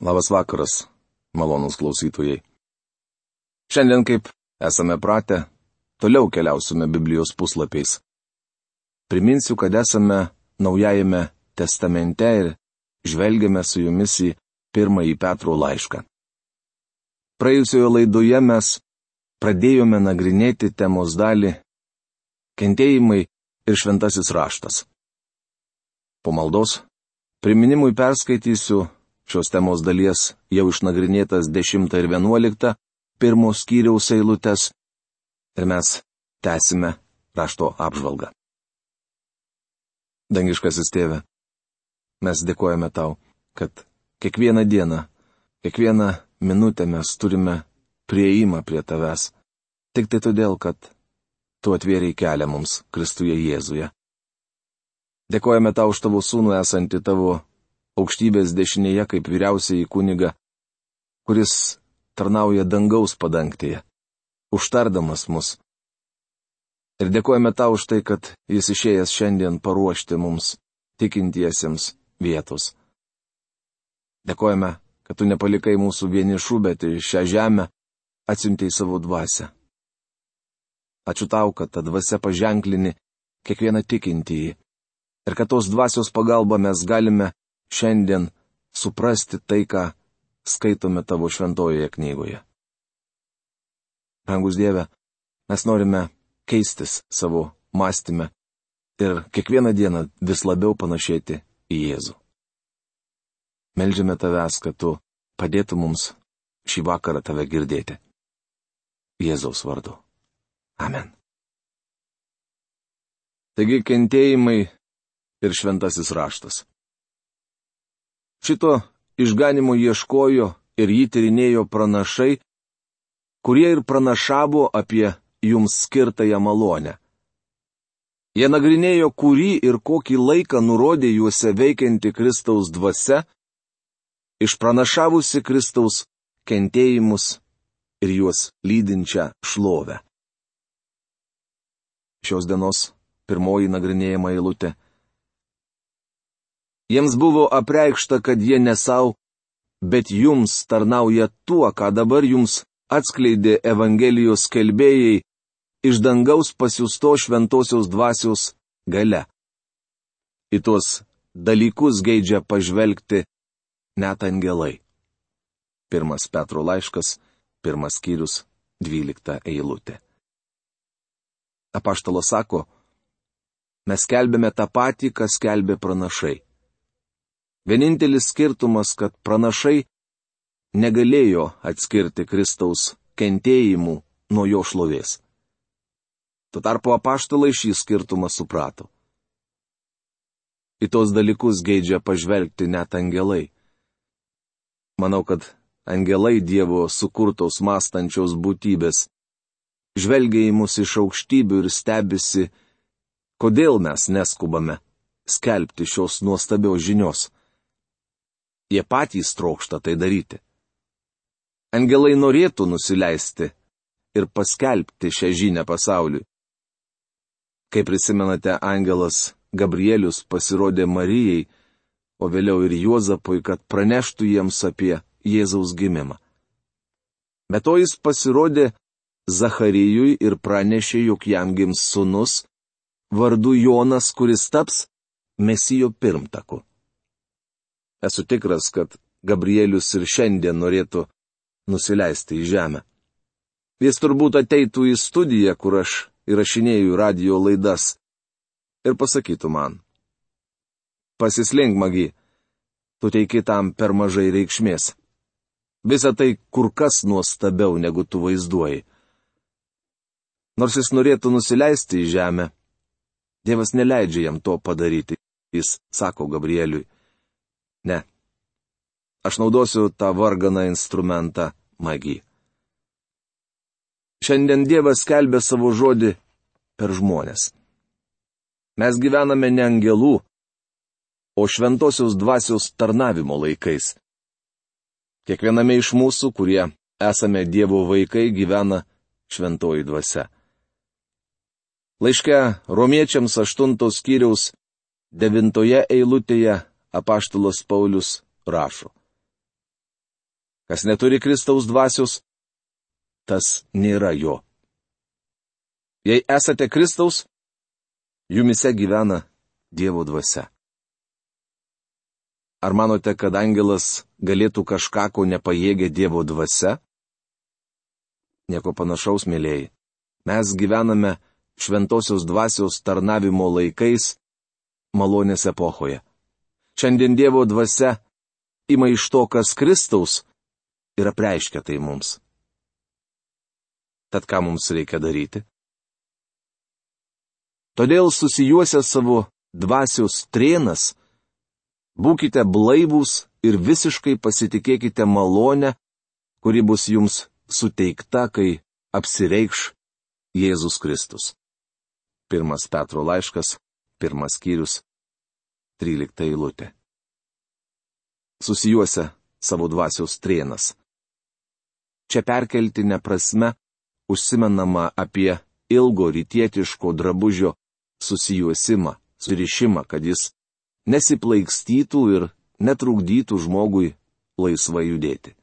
Labas vakaras, malonūs klausytojai. Šiandien, kaip esame pratę, toliau keliausime Biblijos puslapiais. Priminsiu, kad esame Naujajame testamente ir žvelgiame su jumis į 1 Petro laišką. Praėjusioje laidoje mes pradėjome nagrinėti temos dalį kentėjimai ir šventasis raštas. Po maldos priminimui perskaitysiu šios temos dalies jau išnagrinėtas 10 ir 11 pirmos skyriaus eilutes ir mes tęsime rašto apžvalgą. Dangiškasis Tėve, mes dėkojame Tau, kad kiekvieną dieną, kiekvieną minutę mes turime prieimą prie Tavęs, tik tai todėl, kad Tu atvėrei kelią mums Kristuje Jėzuje. Dėkojame Tau už Tavo sūnų esantį Tavo aukštybės dešinėje kaip vyriausiąjį kunigą, kuris tarnauja dangaus padangtėje, užtardamas mus. Ir dėkojame Tau už tai, kad Jis išėjęs šiandien paruošti mums, tikintiesiems, vietos. Dėkojame, kad Tu nepalikai mūsų vienišų, bet į šią žemę atsiuntei savo dvasią. Ačiū Tau, kad ta dvasia paženklini kiekvieną tikintįjį ir kad tos dvasios pagalba mes galime šiandien suprasti tai, ką skaitome Tavo šventojoje knygoje. Brangus Dieve, mes norime keistis savo mąstyme ir kiekvieną dieną vis labiau panašėti į Jėzų. Meldžiame Tavęs, kad Tu padėtum mums šį vakarą Tave girdėti. Jėzaus vardu. Amen. Taigi kentėjimai ir šventasis raštas. Šito išganimo ieškojo ir jį tyrinėjo pranašai, kurie ir pranašavo apie jums skirtąją malonę. Jie nagrinėjo, kurį ir kokį laiką nurodė juose veikianti Kristaus dvasia, išpranašavusi Kristaus kentėjimus ir juos lydinčią šlovę. Šios dienos pirmoji nagrinėjama eilutė. Jiems buvo apreikšta, kad jie ne savo, bet jums tarnauja tuo, ką dabar jums atskleidė Evangelijos skelbėjai iš dangaus pasiųsto šventosios dvasios galia. Į tuos dalykus geidžia pažvelgti net angelai. 1 Petro laiškas, 1 skyrius, 12 eilutė. Apaštalas sako, mes skelbėme tą patį, ką skelbė pranašai. Vienintelis skirtumas, kad pranašai negalėjo atskirti Kristaus kentėjimų nuo jo šlovės. Tuo tarpu apaštalai šį skirtumą suprato. Į tos dalykus geidžia pažvelgti net angelai. Manau, kad angelai Dievo sukurtos mąstančios būtybės žvelgia į mus iš aukštybių ir stebisi, kodėl mes neskubame skelbti šios nuostabios žinios. Jie patys trokšta tai daryti. Angelai norėtų nusileisti ir paskelbti šią žinią pasauliui. Kaip prisimenate, angelas Gabrielius pasirodė Marijai, o vėliau ir Juozapui, kad praneštų jiems apie Jėzaus gimimą. Be to jis pasirodė Zacharijui ir pranešė, jog jam gims sūnus, vardu Jonas, kuris taps Mesijo pirmtaku. Esu tikras, kad Gabrielius ir šiandien norėtų nusileisti į žemę. Jis turbūt ateitų į studiją, kur aš įrašinėju radio laidas, ir pasakytų man: pasislink, Magi, tu teiki tam per mažai reikšmės. Visa tai kur kas nuostabiau, negu tu vaizduoji. Nors jis norėtų nusileisti į žemę, Dievas neleidžia jam to padaryti. Jis sako Gabrieliui: ne, aš naudosiu tą varganą instrumentą Magi. Šiandien Dievas skelbia savo žodį per žmones. Mes gyvename ne angelų, o šventosios dvasios tarnavimo laikais. Kiekviename iš mūsų, kurie esame Dievo vaikai, gyvena šventoji dvasia. Laiške Romiečiams 8 skyriaus 9 eilutėje apaštalas Paulius rašo: Kas neturi Kristaus dvasios, tas nėra jo. Jei esate Kristaus, jumise gyvena Dievo dvasia. Ar manote, kad angelas galėtų kažką, ko nepajėgia Dievo dvasia? Nieko panašaus, mėlyjei. Mes gyvename šventosios dvasios tarnavimo laikais, malonės epochoje. Šiandien Dievo dvasia ima iš to, kas Kristaus, ir apreiškia tai mums. Tad ką mums reikia daryti? Todėl susijuosę savo dvasios trėnas, būkite blaivūs ir visiškai pasitikėkite malonę, kuri bus jums suteikta, kai apsireikš Jėzus Kristus. 1 Petro laiškas, 1 skyrius, 13 eilutė. Susijuosę savo dvasios trėnas. Čia perkeltinė prasme užsimenama apie ilgo rytietiško drabužio susijuosimą, surišimą, kad jis nesiplaikstytų ir netrukdytų žmogui laisvai judėti.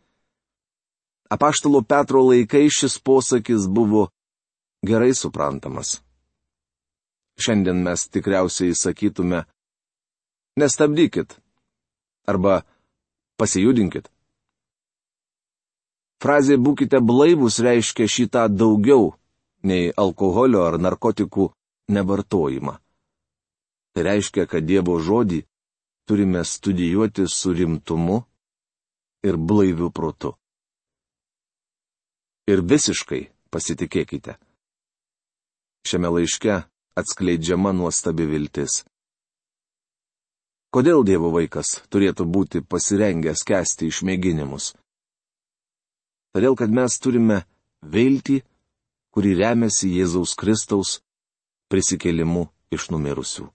Apaštalo Petro laikais šis posakis buvo gerai suprantamas. Šiandien mes tikriausiai sakytume, nestabdykit arba pasijudinkit. Frazė būkite blaivūs reiškia šitą daugiau nei alkoholio ar narkotikų nevartojimą. Tai reiškia, kad Dievo žodį turime studijuoti su rimtumu ir blaiviu protu. Ir visiškai pasitikėkite. Šiame laiške atskleidžiama nuostabi viltis. Kodėl Dievo vaikas turėtų būti pasirengęs kęsti išmėginimus? Todėl, kad mes turime viltį, kuri remiasi Jėzaus Kristaus prisikėlimu iš numirusių.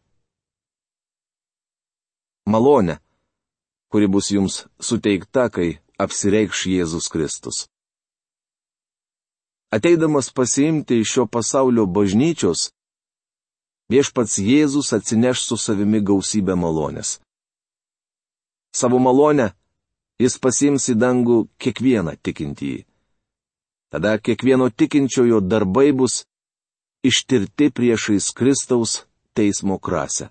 Malonė, kuri bus jums suteikta, kai apsireikš Jėzus Kristus. Ateidamas pasiimti iš šio pasaulio bažnyčios, viešpats Jėzus atsineš su savimi gausybę malonės. Savo malonę jis pasiims į dangų kiekvieną tikintįjį. Tada kiekvieno tikinčiojo darbai bus ištirti priešais Kristaus teismo krasę.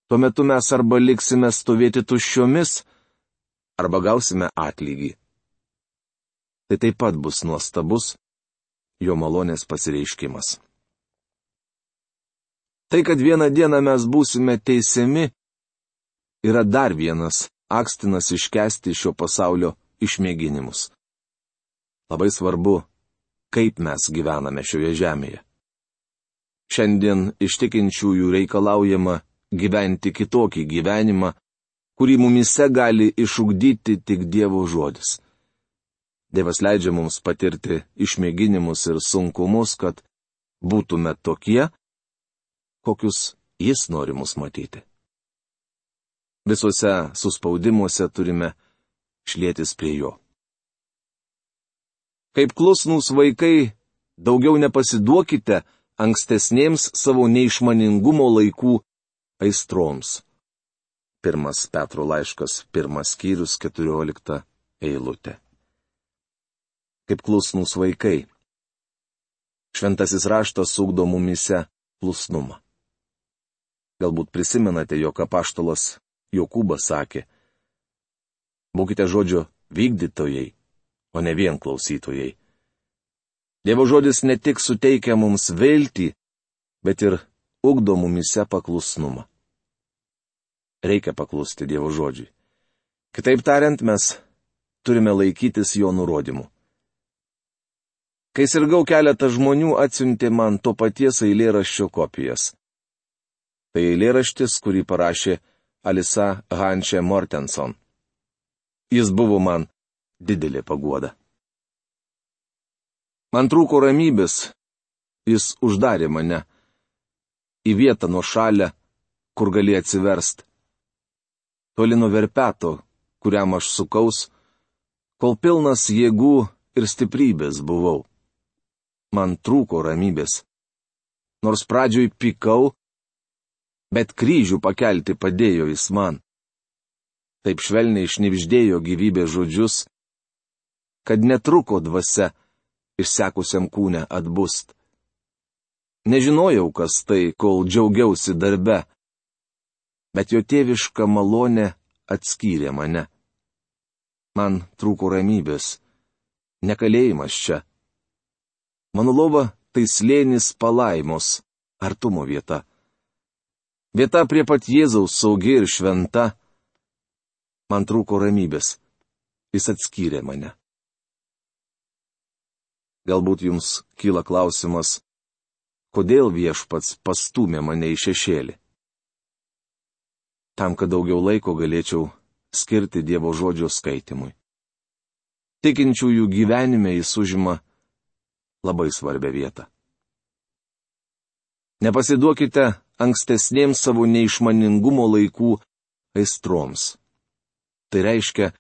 Tuo metu mes arba liksime stovėti tuščiomis, arba gausime atlygį. Tai taip pat bus nuostabus jo malonės pasireiškimas. Tai, kad vieną dieną mes būsime teisiami, yra dar vienas akstinas iškęsti šio pasaulio išmėginimus. Labai svarbu, kaip mes gyvename šioje žemėje. Šiandien iš tikinčiųjų reikalaujama gyventi kitokį gyvenimą, kurį mumise gali išugdyti tik Dievo žodis. Dievas leidžia mums patirti išmėginimus ir sunkumus, kad būtume tokie, kokius Jis nori mus matyti. Visuose suspaudimuose turime šlietis prie Jo. Kaip klusnūs vaikai, daugiau nepasiduokite ankstesnėms savo neišmaningumo laikų aistroms. 1 Petro laiškas, 1 skyrius, 14 eilutė. Kaip klusnūs vaikai. Šventasis raštas ugdo mumise klusnumą. Galbūt prisimenate, jog apaštalas Jokūbas sakė: būkite žodžio vykdytojai, o ne vien klausytojai. Dievo žodis ne tik suteikia mums viltį, bet ir ugdo mumise paklusnumą. Reikia paklusti Dievo žodžiui. Kitaip tariant, mes turime laikytis jo nurodymų. Kai sirgau, keletą žmonių atsiuntė man to paties eilėraščio kopijas. Tai eilėraštis, kurį parašė Alisa Hanche Mortenson. Jis buvo man didelė paguoda. Man trūko ramybės, jis uždarė mane į vietą nuošalę, kur gali atsiverst. Toli nuo verpeto, kuriam aš sukaus, kol pilnas jėgų ir stiprybės buvau. Man trūko ramybės. Nors pradžioj pykau, bet kryžių pakelti padėjo jis man. taip švelniai šnibždėjo gyvybės žodžius, kad netruko dvasia išsekusiam kūne atbust. Nežinojau, kas tai, kol džiaugiausi darbe, bet jo tėviška malonė atskyrė mane. Man trūko ramybės, nekalėjimas čia. Mano lova tai slėnis palaimos, artumo vieta. Vieta prie pat Jėzaus saugi ir šventa. Man trūko ramybės, jis atskyrė mane. Galbūt jums kyla klausimas, kodėl viešpats pastūmė mane į šešėlį. Tam, kad daugiau laiko galėčiau skirti Dievo žodžio skaitimui. Tikinčiųjų gyvenime jis užima labai svarbią vietą. Nepasiduokite ankstesnėms savo neišmaningumo laikų aistroms. Tai reiškia,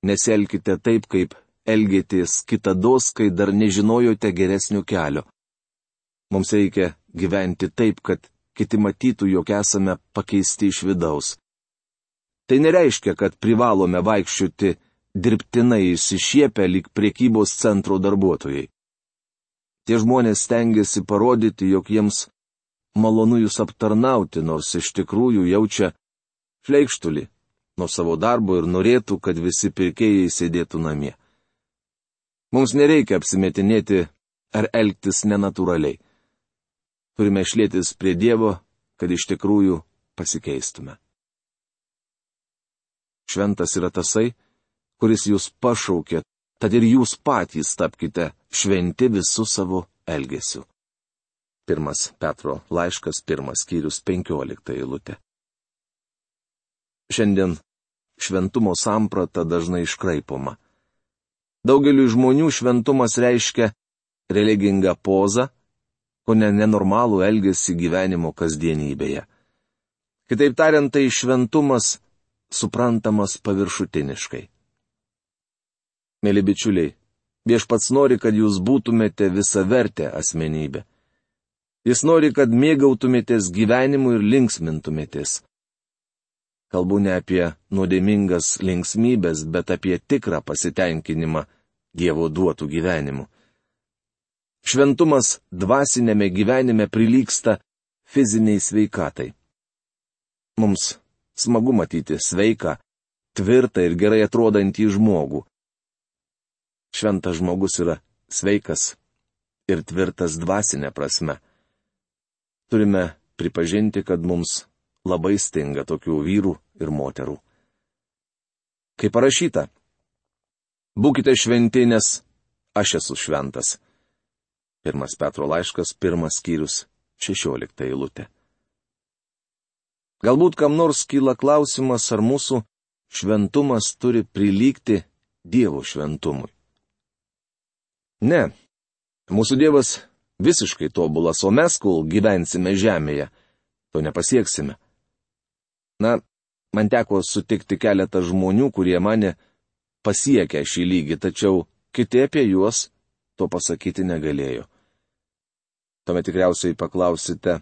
nesielkite taip, kaip elgėtės kitados, kai dar nežinojote geresnio kelio. Mums reikia gyventi taip, kad kiti matytų, jog esame pakeisti iš vidaus. Tai nereiškia, kad privalome vaikščioti dirbtinai išsišiepę lyg prekybos centro darbuotojai. Tie žmonės stengiasi parodyti, jog jiems malonu jūs aptarnauti, nors iš tikrųjų jaučia šleikštulį nuo savo darbo ir norėtų, kad visi pirkėjai sėdėtų namie. Mums nereikia apsimetinėti ar elgtis nenatūraliai. Turime šlėtis prie Dievo, kad iš tikrųjų pasikeistume. Šventas yra tasai, kuris jūs pašaukė, tad ir jūs patys tapkite šventi visų savo elgesiu. 1 Petro laiškas, 1 skyrius, 15 eilutė. Šiandien šventumo samprata dažnai iškraipoma. Daugeliui žmonių šventumas reiškia religingą pozą, o ne nenormalų elgesį gyvenimo kasdienybėje. Kitaip tariant, tai šventumas suprantamas paviršutiniškai. Mėly bičiuliai, viešpats nori, kad jūs būtumėte visavertė asmenybė. Jis nori, kad mėgautumėtės gyvenimu ir linksmintumėtės. Kalbu ne apie nuodėmingas linksmybės, bet apie tikrą pasitenkinimą Dievo duotų gyvenimu. Šventumas dvasinėme gyvenime prilygsta fiziniai sveikatai. Mums smagu matyti sveiką, tvirtą ir gerai atrodantį žmogų. Šventas žmogus yra sveikas ir tvirtas dvasinė prasme. Turime pripažinti, kad mums labai stinga tokių vyrų ir moterų. Kaip parašyta, būkite šventi, nes aš esu šventas. 1 Petro laiškas, 1 skyrius, 16 eilutė. Galbūt kam nors kyla klausimas, ar mūsų šventumas turi prilygti Dievo šventumui. Ne, mūsų Dievas visiškai tobulas, o mes, kol gyvensime žemėje, to nepasieksime. Na, man teko sutikti keletą žmonių, kurie mane pasiekė šį lygį, tačiau kiti apie juos to pasakyti negalėjo. Tuomet tikriausiai paklausite,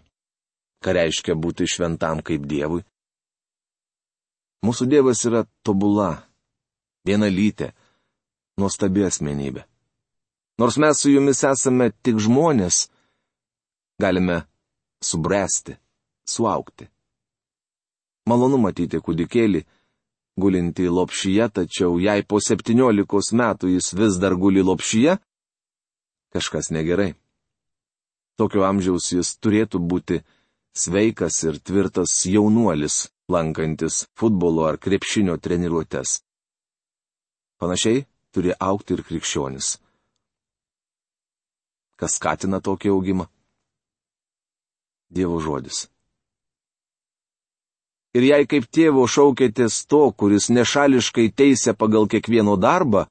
ką reiškia būti šventam kaip Dievui. Mūsų Dievas yra tobula, vienalytė, nuostabi asmenybė. Nors mes su jumis esame tik žmonės, galime subręsti, suaugti. Malonu matyti kūdikėlį, gulinti lopšyje, tačiau jei po 17 metų jis vis dar guli lopšyje, kažkas negerai. Tokio amžiaus jis turėtų būti sveikas ir tvirtas jaunuolis, lankantis futbolo ar krepšinio treniruotes. Panašiai turi augti ir krikščionis. Kas skatina tokį augimą? Dievo žodis. Ir jei kaip tėvo šaukėtės to, kuris nešališkai teisia pagal kiekvieno darbą,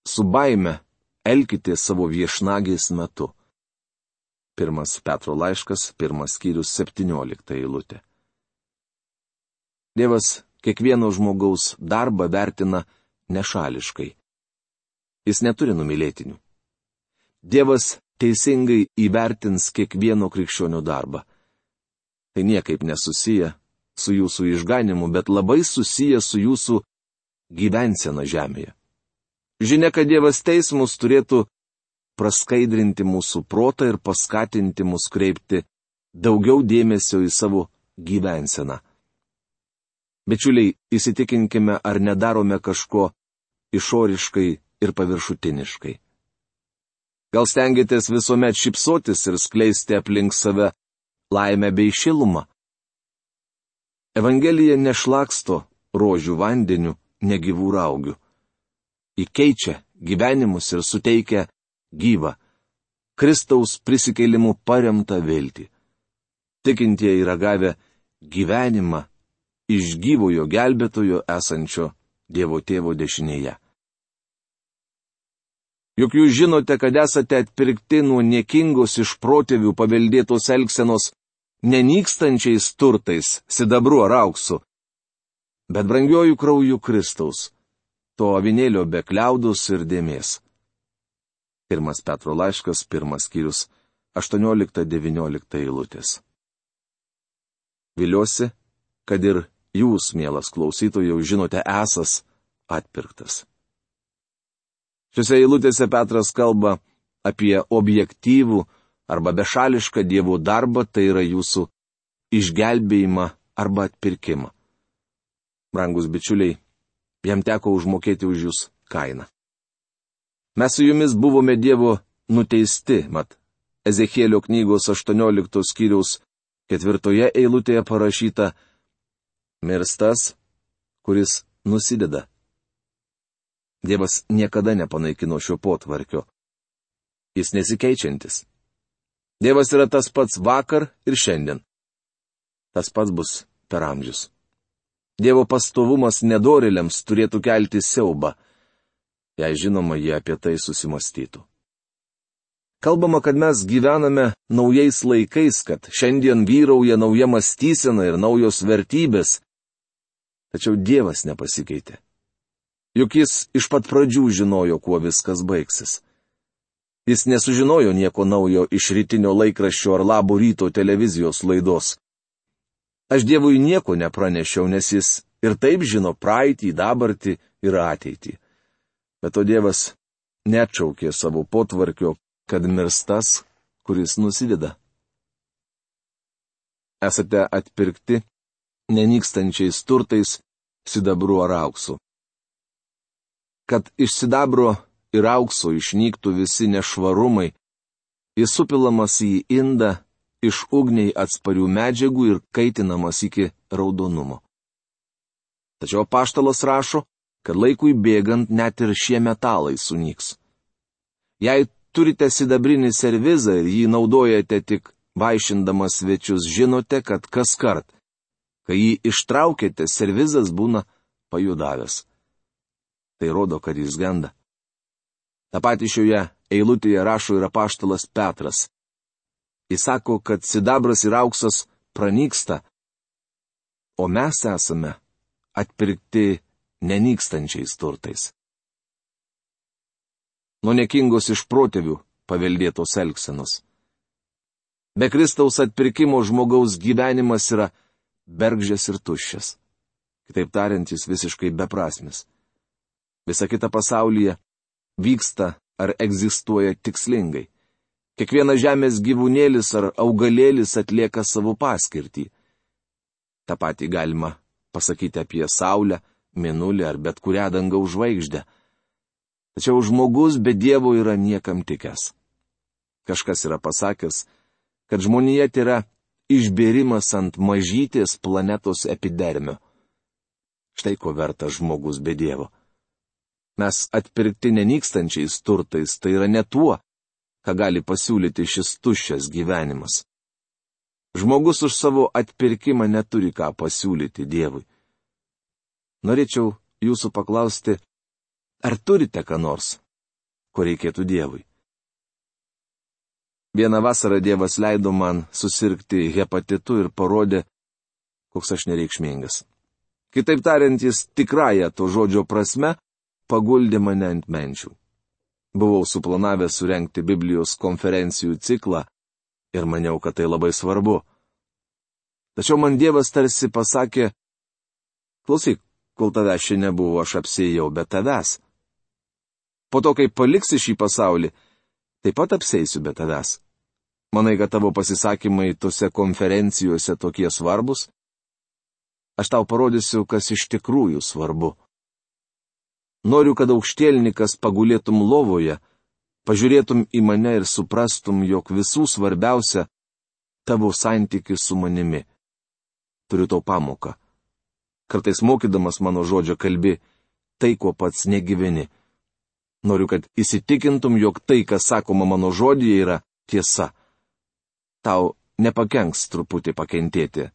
su baime elkitės savo viešnagės metu. 1 Petro laiškas, 1 skyrius, 17 eilutė. Dievas kiekvieno žmogaus darbą vertina nešališkai. Jis neturi numylėtinių. Dievas teisingai įvertins kiekvieno krikščionio darbą. Tai niekaip nesusiję su jūsų išganimu, bet labai susijęs su jūsų gyvensena žemėje. Žinia, kad Dievas teismus turėtų praskaidrinti mūsų protą ir paskatinti mus kreipti daugiau dėmesio į savo gyvenseną. Bičiuliai, įsitikinkime, ar nedarome kažko išoriškai ir paviršutiniškai. Gal stengiatės visuomet šypsotis ir skleisti aplink save laimę bei šilumą? Evangelija nešlaksto rožių vandeniu, negyvų raugių. Įkeičia gyvenimus ir suteikia gyvą, Kristaus prisikėlimu paremtą viltį. Tikintieji yra gavę gyvenimą iš gyvojo gelbėtojo esančio Dievo Tėvo dešinėje. Juk jūs žinote, kad esate atpirkti nuo niekingos iš protėvių paveldėtos elgsenos nenykstančiais turtais, sidabru ar auksu, bet brangiuoju krauju Kristaus, to avinėlio be kliaudus ir dėmės. 1 Petro laiškas, 1 skyrius, 18-19 eilutės. Viliuosi, kad ir jūs, mielas klausytojau, žinote esas atpirktas. Šiuose eilutėse Petras kalba apie objektyvų arba bešališką Dievo darbą, tai yra jūsų išgelbėjimą arba atpirkimą. Brangus bičiuliai, jam teko užmokėti už jūs kainą. Mes su jumis buvome Dievo nuteisti, mat Ezechielio knygos 18 skyriaus 4 eilutėje parašyta: mirstas, kuris nusideda. Dievas niekada nepanaikino šio potvarkio. Jis nesikeičiantis. Dievas yra tas pats vakar ir šiandien. Tas pats bus per amžius. Dievo pastovumas nedorėliams turėtų kelti siaubą, jei žinoma, jie apie tai susimastytų. Kalbama, kad mes gyvename naujais laikais, kad šiandien vyrauja nauja mąstysena ir naujos vertybės. Tačiau Dievas nepasikeitė. Juk jis iš pat pradžių žinojo, kuo viskas baigsis. Jis nesužinojo nieko naujo iš rytinio laikraščio ar Labo ryto televizijos laidos. Aš Dievui nieko nepranešiau, nes jis ir taip žino praeitį, dabartį ir ateitį. Bet to Dievas neatšaukė savo potvarkio, kad mirs tas, kuris nusideda. Esate atpirkti nenykstančiais turtais, sidabru ar auksu. Kad iš sidabro ir aukso išnyktų visi nešvarumai, jis supilamas į indą iš ugniai atsparių medžiagų ir kaitinamas iki raudonumo. Tačiau apaštalas rašo, kad laikui bėgant net ir šie metalai sunyks. Jei turite sidabrinį servizą ir jį naudojate tik vaišindamas svečius, žinote, kad kaskart, kai jį ištraukėte, servizas būna pajudavęs. Tai rodo, kad jis genda. Ta pati šioje eilutėje rašo ir apaštalas Petras. Jis sako, kad sidabras ir auksas pranyksta, o mes esame atpirkti nenykstančiais turtais. Nuo niekingos iš protėvių paveldėtos elgsenos. Be Kristaus atpirkimo žmogaus gyvenimas yra bergždžias ir tuščias. Kitaip tariant, jis visiškai beprasmis. Visa kita pasaulyje vyksta ar egzistuoja tikslingai. Kiekvienas žemės gyvūnėlis ar augalėlis atlieka savo paskirtį. Ta pati galima pasakyti apie Saulę, Mėnulį ar bet kurią dangaus žvaigždę. Tačiau žmogus be Dievo yra niekam tikęs. Kažkas yra pasakęs, kad žmonija yra išbėrimas ant mažytės planetos epidermio. Štai ko vertas žmogus be Dievo. Mes atpirkti nenykstančiais turtais, tai yra ne tuo, ką gali pasiūlyti šis tuščias gyvenimas. Žmogus už savo atpirkimą neturi ką pasiūlyti Dievui. Norėčiau jūsų paklausti, ar turite ką nors, ko reikėtų Dievui? Vieną vasarą Dievas leido man susirgti hepatitu ir parodė, koks aš nereikšmingas. Kitaip tariant, jis tikrąją to žodžio prasme paguldė mane ant menčių. Buvau suplanavęs surengti Biblijos konferencijų ciklą ir maniau, kad tai labai svarbu. Tačiau man Dievas tarsi pasakė, klausyk, kol tavęs čia nebuvo, aš apsėjau be tavęs. Po to, kai paliksi šį pasaulį, taip pat apseisiu be tavęs. Manai, kad tavo pasisakymai tose konferencijose tokie svarbus? Aš tau parodysiu, kas iš tikrųjų svarbu. Noriu, kad aukštielnikas pagulėtum lovoje, pažiūrėtum į mane ir suprastum, jog visų svarbiausia tavo santykis su manimi. Turiu tau pamoką. Kartais mokydamas mano žodžio kalbi tai, ko pats negyveni. Noriu, kad įsitikintum, jog tai, kas sakoma mano žodyje, yra tiesa. Tau nepakenks truputį pakentėti.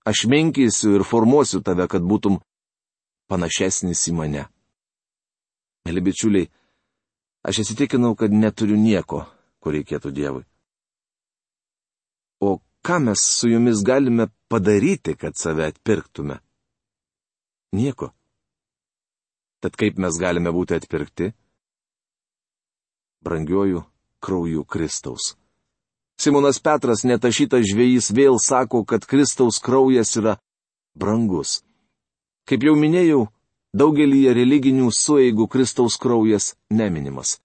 Aš menkysiu ir formuosiu tave, kad būtum panašesnis į mane. Mėly bičiuliai, aš įsitikinau, kad neturiu nieko, ko reikėtų Dievui. O ką mes su jumis galime padaryti, kad save atpirktume? Nieko. Tad kaip mes galime būti atpirkti? Brangiuoju krauju Kristaus. Simonas Petras, netašytas žvejys, vėl sako, kad Kristaus kraujas yra brangus. Kaip jau minėjau, daugelyje religinių sueigų Kristaus kraujas neminimas.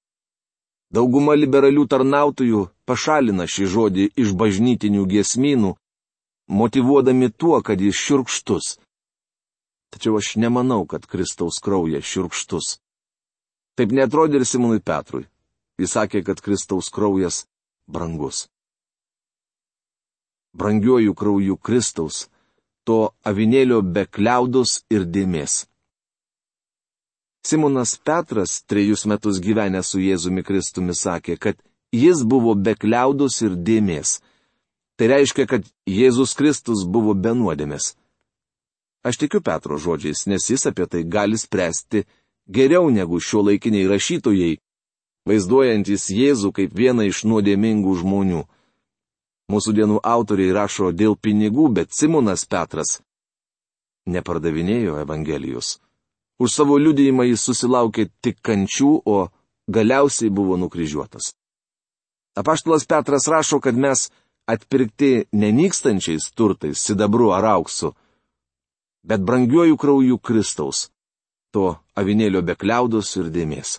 Dauguma liberalių tarnautojų pašalina šį žodį iš bažnytinių giesmynų, motyvuodami tuo, kad jis šiurkštus. Tačiau aš nemanau, kad Kristaus kraujas šiurkštus. Taip neatrodė ir Simonui Petrui. Jis sakė, kad Kristaus kraujas brangus. Brangiuoju krauju Kristaus, to avinėlio be kliaudos ir dėmės. Simonas Petras, 3 metus gyvenęs su Jėzumi Kristumi, sakė, kad jis buvo be kliaudos ir dėmės. Tai reiškia, kad Jėzus Kristus buvo be nuodėmės. Aš tikiu Petro žodžiais, nes jis apie tai gali spręsti geriau negu šiuolaikiniai rašytojai, vaizduojantis Jėzų kaip vieną iš nuodėmingų žmonių. Mūsų dienų autoriai rašo dėl pinigų, bet Simonas Petras nepardavinėjo Evangelijos. Už savo liudijimą jis susilaukė tik kančių, o galiausiai buvo nukryžiuotas. Apaštalas Petras rašo, kad mes atpirkti nenykstančiais turtais, sidabru ar auksu, bet brangiuoju krauju Kristaus, to avinėlio be kliaudos ir dėmės.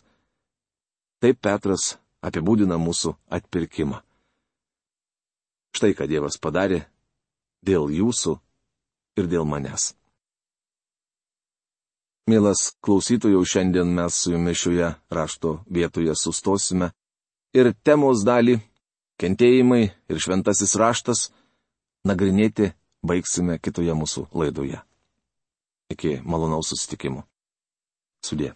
Taip Petras apibūdina mūsų atpirkimą. Štai ką Dievas padarė dėl jūsų ir dėl manęs. Mielas klausytojau, šiandien mes su jumis šioje rašto vietoje sustosime ir temos dalį, kentėjimai ir šventasis raštas, nagrinėti baigsime kitoje mūsų laidoje. Iki malonaus susitikimo. Sudie.